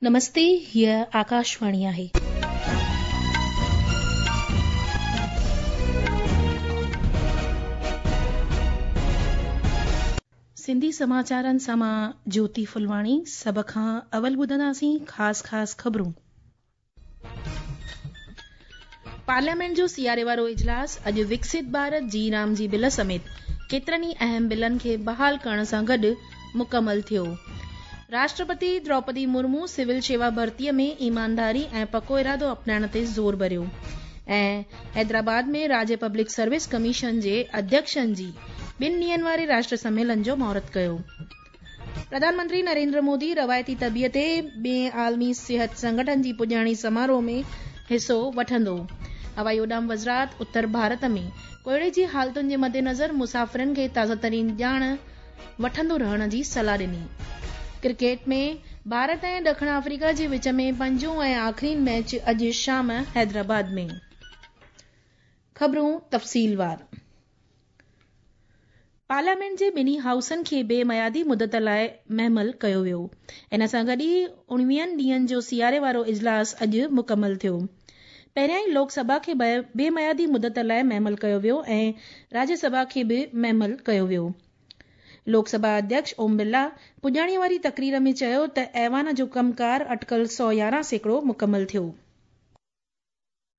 نمستي هيء آڪاشواڻي آهي. سنڌي سماچارن سان مان جيوتي ڦلواڻي سڀ کان اول ٻڌنداسين خاص خاص خبرون. پارليامينٽ جو سياري وارو اجلاس اڄ وڪست ڀارت جي رام جي بل سميت ڪيترن ئي اهم بلن کي بحال ڪرڻ سان گڏ مڪمل ٿيو. راشٽرپتي دروپدي مرمو سول شيوا ڀرتي ۾ ايمانداري ۽ پڪو ارادو اپنائڻ تي زور ڀريو ۽ حيدرآباد ۾ راجيه پبلڪ سروس ڪميشن جي اڌيڪشن جي ٻن ڏينهن واري راشٽر سميلن جو مهورت ڪيو. پرڌان منتري نريندر مودي روايتي طبيع تي ٻئين عالمي صحت سنگٺن جي پڄاڻي سماروهه ۾ حصو وٺندو. هوائي اڏام وزارت اتر ڀارت ۾ ڪوهيڙي جي حالتن جي مدنظر مسافرن کي تازه ترين ڄاڻ وٺندو رهڻ جي صلاح ڏني. ڪرڪيٽ ۾ ڀارت ۽ ڏکڻ آفريڪا جي وچ ۾ پنجون ۽ آخرين ميچ اڄ شام حيدرآباد ۾. خبرون تفصيلوار. پارليامينٽ جي ٻنهي هائوسن کي بي ميعادي مدت لاء مهمل ڪيو ويو. ان سان گڏ ئي اڻويهن ڏينهن جو سياري وارو اجلاس اڄ مڪمل ٿيو. پهريائين لوڪ سڀا کي بي ميعادي مدت لاء مهمل ڪيو ويو ۽ راجيه سڀا کي به مهمل ڪيو ويو. لوڪ سڀا اڌيڪش اوم برلا پڄاڻي واري تقرير ۾ چيو ته ايوان جو ڪم ڪار اٽڪل 111% مڪمل ٿيو.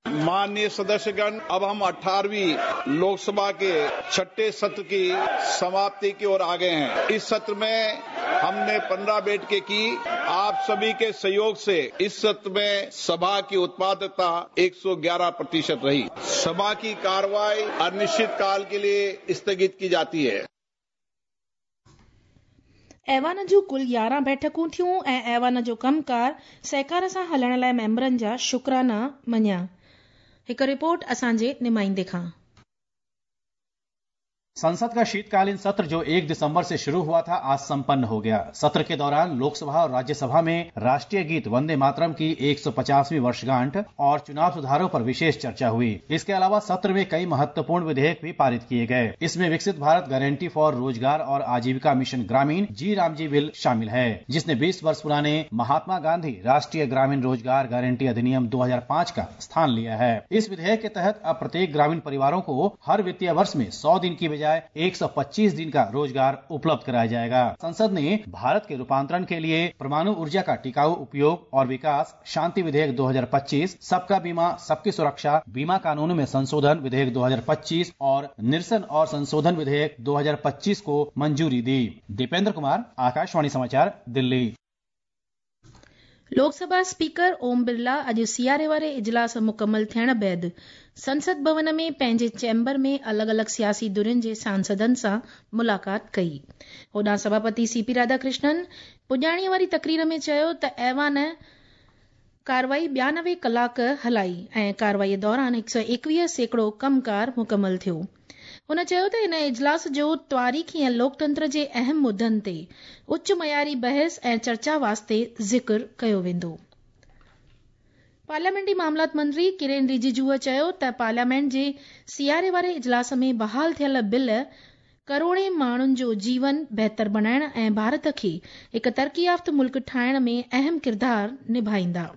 माननीय सदस्यगण अब हम 18वीं लोकसभा के छठे सत्र की समाप्ति की ओर आ गए हैं। इस सत्र में हमने 15 बैठकें की। आप सभी के सहयोग से इस सत्र में सभा की उत्पादकता 111% रही। सभा की कार्रवाई अनिश्चित काल के लिए स्थगित की जाती है। ايوان جون ڪل 11 بيٺڪون ٿيون ۽ ايوان جو ڪم ڪار سهڪار سان هلڻ لاء ميمبرن جا شڪرانا مڃيا. هڪ رپورٽ اسان جي نمائندي کان. संसद का शीतकालीन सत्र जो 1 दिसंबर से शुरू हुआ था, आज संपन्न हो गया। सत्र के दौरान लोकसभा और राज्यसभा में राष्ट्रीय गीत वंदे मातरम की 150वीं वर्षगांठ और चुनाव सुधारों पर विशेष चर्चा हुई। इसके अलावा सत्र में कई महत्वपूर्ण विधेयक भी पारित किए गए। इसमें विकसित भारत गारंटी फॉर रोजगार और आजीविका मिशन ग्रामीण जी रामजी बिल शामिल है, जिसने 20 वर्ष पुराने महात्मा गांधी राष्ट्रीय ग्रामीण रोजगार गारंटी अधिनियम 2005 का स्थान लिया है। इस विधेयक के तहत अब प्रत्येक ग्रामीण परिवारों को हर वित्तीय वर्ष में 100 दिन की बजाय 125 दिन का रोजगार उपलब्ध कराया जाएगा। संसद ने भारत के रूपांतरण के लिए परमाणु ऊर्जा का टिकाऊ उपयोग और विकास शांति विधेयक 2025, सबका बीमा सबकी सुरक्षा बीमा कानून में संशोधन विधेयक 2025 और निरसन और संशोधन विधेयक 2025 को मंजूरी दी। दीपेंद्र कुमार, आकाशवाणी समाचार, दिल्ली। लोकसभा स्पीकर ओम बिरला اڄ سياري واري اجلاس مڪمل ٿيڻ بعد سنسد ڀون ۾ پنهنجي چيمبر ۾ الڳ الڳ سياسي ڌرين جي سانسدن سان ملاقات ڪئي. هوڏانهن سڀاپتي سي پي راڌاڪرشنن پڄاڻي واري تقرير ۾ چيو ته ايوان ڪارروائي 92 ڪلاڪ هلائي ۽ ڪارروائي دوران 121% ڪم ڪار مڪمل ٿيو. هن چيو ته ان اجلاس جو تواريخي ۽ لوڪتنتر جي اهم مدن تي اچ معياري بحث ۽ چرچا واسطي ذڪر ڪيو ويندو. پارليامينٽي معاملات منتري ڪرين رجيجوء چيو ته پارليامينٽ جي سياري واري اجلاس ۾ بحال ٿيل بل ڪروڙين ماڻهن جو جيون بهتر بڻائڻ ۽ ڀارت کي هڪ ترقي يافته ملڪ ٺاهڻ ۾ اهم ڪردار نڀائيندا.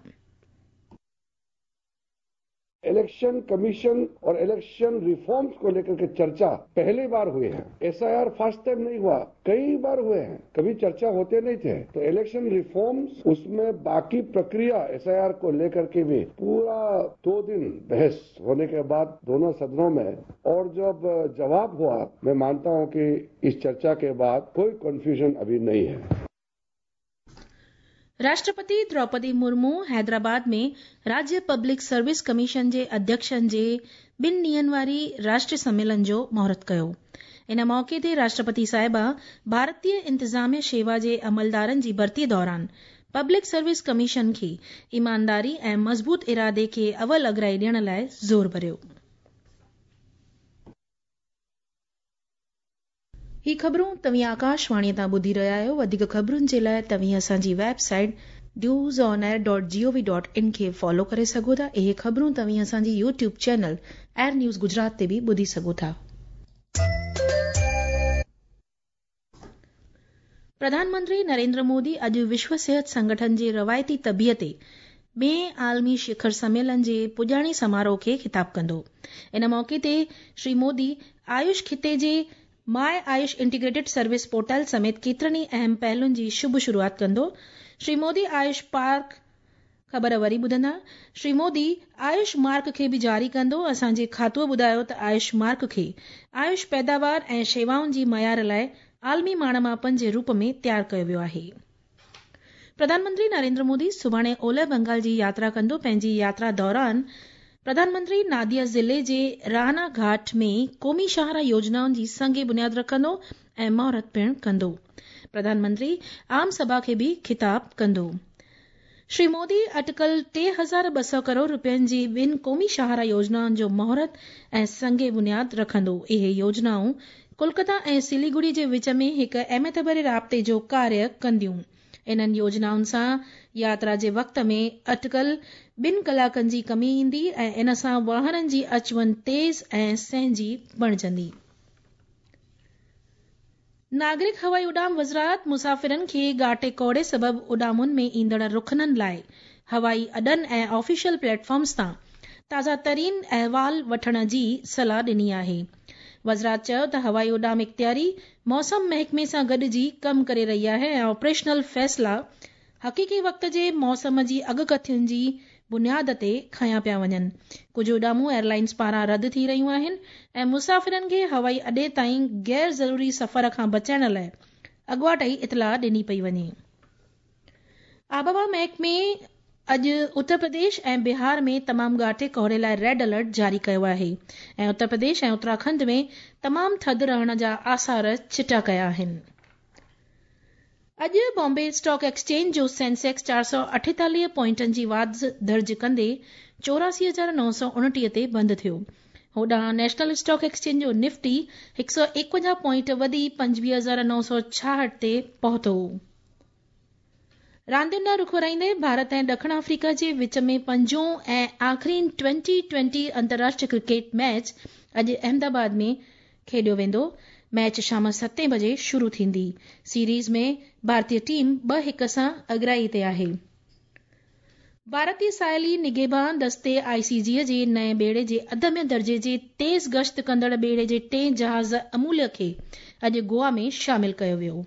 इलेक्शन कमीशन और इलेक्शन रिफॉर्म्स को लेकर के चर्चा पहली बार हुई है। एसआईआर फर्स्ट टाइम नहीं हुआ, कई बार हुए हैं, कभी चर्चा होते नहीं थे। तो इलेक्शन रिफॉर्म्स, उसमें बाकी प्रक्रिया एसआईआर को लेकर के भी पूरा 2 दिन बहस होने के बाद दोनों सदनों में, और जब जवाब हुआ, मैं मानता हूं कि इस चर्चा के बाद कोई कंफ्यूजन अभी नहीं है। राष्ट्रपति द्रौपदी मुर्मू हैदराबाद ۾ راجيه پبلڪ سروس ڪميشن جي اڌيڪشن جي ٻن ڏينهن واري راشٽريه سميلن جو مهورت ڪيو. ان موقعي تي راشٽرپتي صاحبه ڀارتيه انتظاميه شيوا جي عملدارن جي ڀرتي دوران پبلڪ سروس ڪميشن کي ايمانداري ۽ مضبوط ارادي کي اول اڳرائي ڏيڻ لاء زور ڀريو. هي خبرون توهين آڪاشواڻي تان ٻڌي رهيا آهيو. وڌيڪ خبرن جي لاء توهين اسان جي website news on air dot G O V dot in کي فالو ڪري سگهو ٿا. اهي خبرون توهين اسان جي YouTube channel air news Gujarat تي به ٻڌي سگهو ٿا. پرڌان منتري نريندر مودي اڄ وشو صحت سنگٺن جي روايتي طبيء تي ٻئين عالمي شکر سميلن جي پڄاڻي سماروهه کي خطاب ڪندو. ان موقعي تي شري مودي آيوش خطي جي my Ayush integrated service portal سميت ڪيترن ئي اهم پهلن جي شڀ شروعات ڪندو. شري مودي آيوش پارڪ خبر وري ٻڌندا، شري مودي آيوش مارڪ کي به جاري ڪندو، اسان جي کاتوء ٻڌايو ته آيوش مارڪ کي آيوش پيداوار ۽ شيوائن جي معيار لاء عالمي ماڻ ماپن جي روپ ۾ تيار ڪيو ويو آهي. پرڌان منتري نريندر مودي سڀاڻي اولهه بنگال جي ياترا ڪندو، پنهنجي ياترا دوران پرڌان منتري ناديا ضلعي جي رانا گهاٽ ۾ قومي شاهراهه يوجنائن جي سنگ بنياد رکندو ۽ مهورت پڻ ڪندو. پرڌان منتري عام سڀا کي به خطاب ڪندو. شري مودي اٽڪل 3200 ڪروڙ رپين جي ٻن قومي شاهراهه يوجنائن جو مهورت ۽ سنگ بنياد رکندو. اهي يوجنائون ڪولڪتا ۽ سليگڙي جي وچ ۾ هڪ اهميت ڀري رابطي جو ڪاريه ڪنديون. انهن يوجنائن سان ياترا جي وقت ۾ اٽڪل ٻن ڪلاڪن جي ڪمي ايندي ۽ ان سان واهنن جي اچ وڃ تيز ۽ سهنجي بڻجندي. ناگرڪ هوائي اڏام وزارت مسافرن کي گهاٽي ڪوهيڙي سبب اڏامن ۾ ايندڙ رخنن لاء هوائي اڏن ۽ آفيشل پليٽ فارمز تان تازا ترين احوال وٺڻ جي صلاح ڏني آهي. وزارت چيو ته هوائي اڏام اختياري موسم محڪمي سان گڏجي ڪم ڪري رهي آهي ۽ آپريشنل فيصلا حقيقي وقت جي موسم جي اڳڪٿين جي بنياد تي کنيا پيا وڃن. ڪجهه اڏامون ايئرلائنز پاران رد ٿي رهيون آهن ۽ مسافرن کي هوائي اڏي تائين غير ضروري سفر کان بچائڻ لاء اڳواٽ ئي اطلاع ڏني پئي وڃي. آبهوا محڪمي اڄ اتر پرديش ۽ بهار ۾ تمام گهاٽي ڪوهيڙي لاء ريڊ الرٽ جاري ڪيو آهي ۽ اتر پرديش ۽ اتراکنڊ ۾ تمام ٿڌ رهڻ جا آثار چٽا ڪيا آهن. اڄ بامبي اسٽاڪ ايڪسچينج جو سينسيڪس 448 پوائنٽن جي واڌ درج ڪندي 84929 تي بند ٿيو. هوڏانهن نيشنل اسٽاڪ ايڪسچينج جو نفٽي 151 پوائنٽ وڌي 25966 تي پهتو. راندين ڏانهن رخ ورائيندي ڀارت ۽ ڏکڻ آفريڪا جي وچ ۾ پنجون ۽ آخرين ٽوئنٽي ٽوئنٽي انترراشٽريه ڪرڪيٽ ميچ اڄ احمد آباد ۾ کيڏيو ويندو، ميچ شام ستين بجي شروع ٿيندي، سيريز ۾ ڀارتي ٽيم 2-1 سان اڳرائي تي آهي. ڀارتي ساحلي نگهبان دستي آء سي جي جي نئين ٻيڙي جي اڌمي درجي جي تيز گشت ڪندڙ ٻيڙي جي ٽئين جهاز اموليه کي اڄ گوا ۾ شامل ڪيو ويو.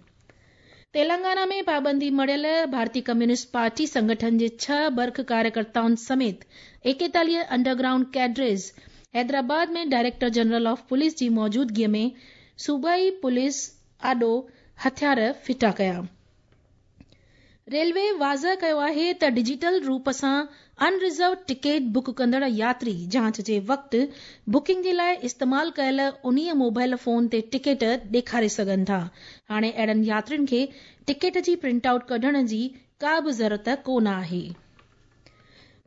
تيلنگانا ۾ پابندي مڙهيل ڀارتي ڪميونسٽ پارٽي سنگٺن جي ڇهه برک ڪاريڪرتائن سميت 41 under ground cadres Hyderabad ۾ director general of police جي موجودگي ۾ صوبائي پوليس آڏو هٿيار ڦٽا ڪيا. ريلوي واضح ڪيو آهي ته ڊجيٽل روپ سان ان رزروڊ ٽڪيٽ بڪ ڪندڙ ياتري جاچ جي وقت بڪنگ جي لاء استعمال ڪيل انهيء موبائل فون تي ٽڪيٽ ڏيکاري سگهن ٿا. هاڻي اهڙن ياترين کي ٽڪيٽ جي پرنٽ آئوٽ ڪڍڻ جي ڪا به ضرورت ڪو نه آهي.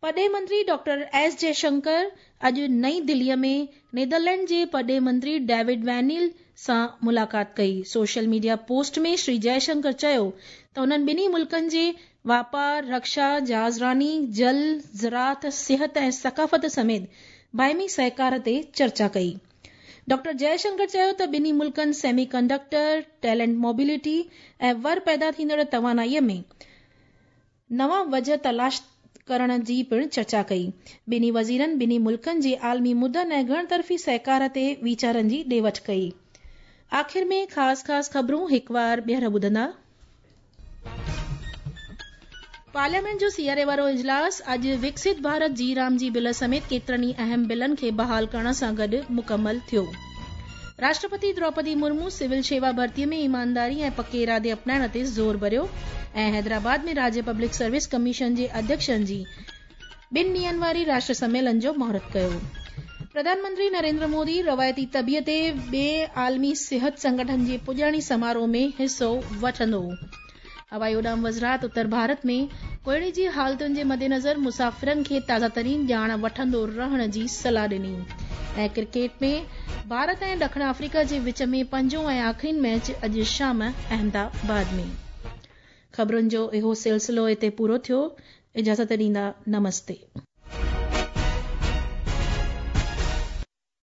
پرڏيهي منتري ڊاڪٽر ايس جئشنڪر اڄ نئين دهلي ۾ نيدرلينڊ جي پرڏيهي منتري ڊيوڊ وينيل سان ملاقات ڪئي. سوشل ميڊيا پوسٽ ۾ شري جئشنڪر چيو ته انهن ٻنهي ملڪن جي واپار، رڪشا، جهازراني، جل، زراعت، صحت ۽ ثقافت سميت باهمي سهڪار تي چرچا ڪئي. ڊاڪٽر جئشنڪر چيو ته ٻنهي ملڪن سيمي ڪنڊڪٽر، ٽيلنٽ موبلٽي ۽ ور پيدا ٿيندڙ توانائي ۾ نوان وجهه تلاش ڪرڻ جي پڻ چرچا ڪئي. ٻنهي وزيرن ٻنهي ملڪن جي عالمي مدن ۽ گهڻ طرفي سهڪار تي ويچارن جي ڏي وٺ ڪئي. آخر ۾ خاص خاص خبرون هڪوار ٻيهر ٻڌندا. پارليامينٽ جو سياري وارو اجلاس اڄ وڪست ڀارت جي رام جي بل سميت ڪيترن ئي اهم بلن کي بحال ڪرڻ سان گڏ مڪمل ٿيو. راشٽرپتي دروپدي مرمو سول شيوا ڀرتي ۾ ايمانداري ۽ پڪي ارادي اپنائڻ تي زور ڀريو ۽ حيدرآباد ۾ راجيه پبلڪ سروس ڪميشن جي اڌيڪشن جي ٻن ڏينهن واري راشٽر سميلن جو مهورت ڪيو. پرڌان منتري نريندر مودي روايتي طبيء تي ٻئين عالمي صحت سنگٺن جي پڄاڻي سماروهه ۾ حصو وٺندو. هوائي اڏام وزارت اتر ڀارت ۾ ڪوهيڙي جي حالتن جي مدنظر مسافرن کي تازه ترين ڄاڻ وٺندو رهڻ جي صلاح ڏني ۽ ڪرڪيٽ ۾ ڀارت ۽ ڏکڻ آفريڪا جي وچ ۾ پنجون ۽ آخرين ميچ اڄ شام احمد آباد ۾. خبرن جو اهو سلسلو هتي پورو ٿيو. اجازت ڏيندا نمستي.